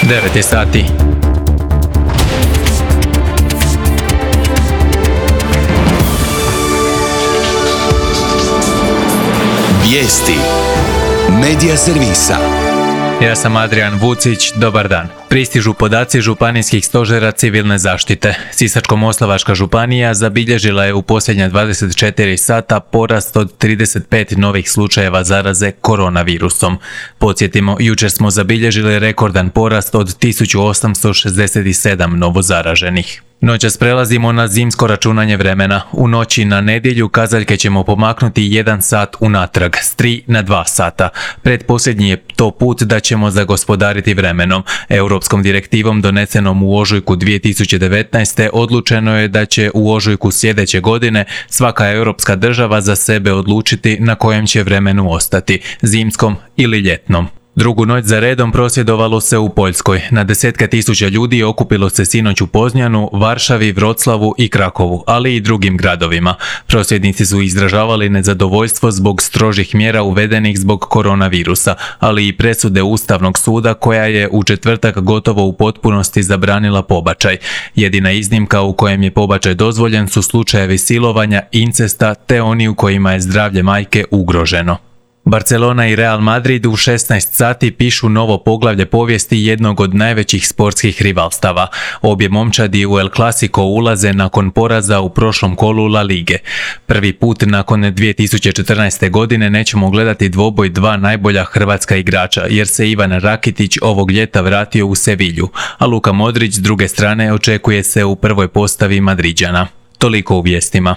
9 je sati. Vijesti Medija servisa. Ja sam Adrian Vucić, dobar dan. Pristižu podaci županijskih stožera civilne zaštite. Sisačko-moslavačka županija zabilježila je u posljednja 24 sata porast od 35 novih slučajeva zaraze koronavirusom. Podsjetimo, jučer smo zabilježili rekordan porast od 1867 novozaraženih. Noćas prelazimo na zimsko računanje vremena. U noći na nedjelju kazaljke ćemo pomaknuti 1 sat unatrag, s 3 na 2 sata. Pretposljednji je to put da ćemo zagospodariti vremenom. Europskom direktivom donesenom u ožujku 2019. odlučeno je da će u ožujku sljedeće godine svaka europska država za sebe odlučiti na kojem će vremenu ostati, zimskom ili ljetnom. Drugu noć za redom prosvjedovalo se u Poljskoj. Na desetke tisuća ljudi okupilo se sinoć u Poznjanu, Varšavi, Vroclavu i Krakovu, ali i drugim gradovima. Prosvjednici su izražavali nezadovoljstvo zbog strožih mjera uvedenih zbog koronavirusa, ali i presude Ustavnog suda koja je u četvrtak gotovo u potpunosti zabranila pobačaj. Jedina iznimka u kojem je pobačaj dozvoljen su slučajevi silovanja, incesta te oni u kojima je zdravlje majke ugroženo. Barcelona i Real Madrid u 16 sati pišu novo poglavlje povijesti jednog od najvećih sportskih rivalstava. Obje momčadi u El Clasico ulaze nakon poraza u prošlom kolu La Lige. Prvi put nakon 2014. godine nećemo gledati dvoboj dva najbolja hrvatska igrača, jer se Ivan Rakitić ovog ljeta vratio u Sevilju, a Luka Modrić s druge strane očekuje se u prvoj postavi Madriđana. Toliko u vijestima.